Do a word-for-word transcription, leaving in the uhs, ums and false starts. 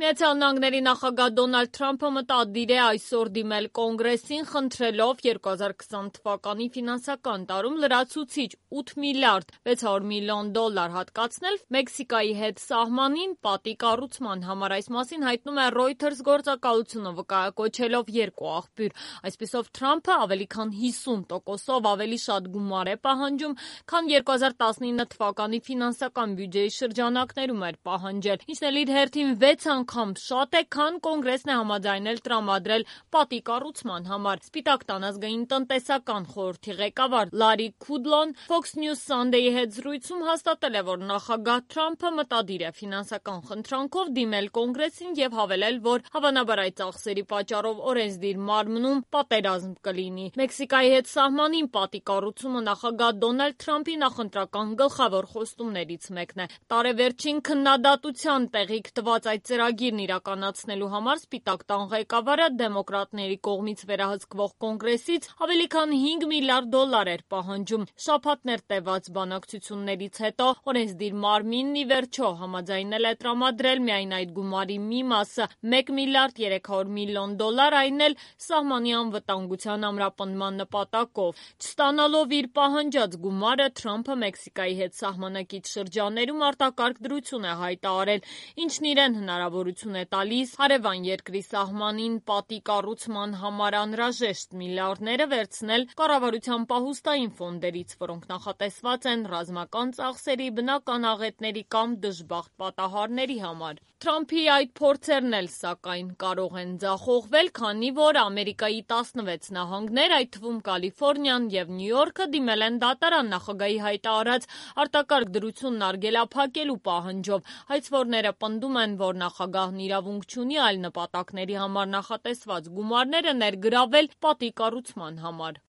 Միացյալ Նահանգների նախագահ Դոնալդ Թրամփը մտադիր է այսօր դիմել Կոնգրեսին, խնդրելով երկու հազար քսան թվականի ֆինանսական տարում լրացուցիչ ութ միլիարդ վեց հարյուր միլիոն դոլար հատկացնել Մեքսիկայի հետ սահմանին պատի կառուցման համար։ Այս մասին հայտնում է Reuters գործակալությունը, վկայակոչելով երկու աղբյուր։ Այսպիսով Թրամփը ավելի քան հիսուն տոկոսով ավելի շատ գումար է պահանջում, քան երկու հազար տասնինը թվականի ֆինանսական բյուջեի շրջանակներում էր պահանջել, ինչն էլ իր հերթին վեց անգամ շատ է, քան Կոնգրեսն է համաձայնել տրամադրել պատի կառուցման համար։ Սպիտակ տան ազգային տնտեսական խորհրդի ղեկավար Լարի Քուդլոն Fox News Sunday-ի հետ զրույցում հաստատել է, որ նախագահ Թրամփը մտադիր է ֆինանսական խնդրանքով դիմել Կոնգրեսին եւ հավելել, որ հավանաբար այդ ծախսերի պատճառով օրենսդիր մարմնում պատերազմ կլինի։ Մեքսիկայի հետ սահմանին պատի կառուցումը նախագահ Դոնալդ Թրամփի նախընտրական գլխավոր խոստումներից մեկն է։ Տարեվերջին քննադատության տեղիք տված այդ ծրագիրն իրականացնելու համար Սպիտակ տան ղեկավարը դեմոկրատների կողմից վերահսկվող Կոնգրեսից ավելի քան հինգ միլիարդ դոլար էր պահանջում։ Շաբաթներ տևած բանակցություններից հետո օրենսդիր մարմինն ի վերջո համաձայնել է տրամադրել միայն այդ գումարի մի մասը՝ մեկ միլիարդ երեք հարյուր միլիոն դոլար, այն էլ սահմանի անվտանգության ամրապնդման նպատակով։ Չստանալով իր պահանջած գումարը, Թրամփը Մեքսիկայի հետ սահմանակից շրջաններում արտակարգ դրություն է հայտարարել, ինչն իրեն հնարավորություն է տալիս հարևան երկրի սահմանին պատի կառուցման համար անհրաժեշտ միլիարդները վերցնել կառավարության պահուստային ֆոնդերից, որոնք նախատեսված են ռազմական ծախսերի, բնական աղետների կամ դժբախտ պատահարների համար։ Թրամփի այդ փորձերն էլ, սակայն, կարող են ձախողվել, քանի որ Ամերիկայի տասնվեց նահանգներ, այդ թվում Կալիֆոռնիան եւ Նյու Յորքը դիմել են դատարան նախագահի հայտարարած արտակարգ դրությունն արգելափակելու պահանջով։ Հայցվորները պնդում են, որ նախագահն իրավունք չունի այլ նպատակների համար նախատեսված գումարները ներգրավել պատի կառուցման համար։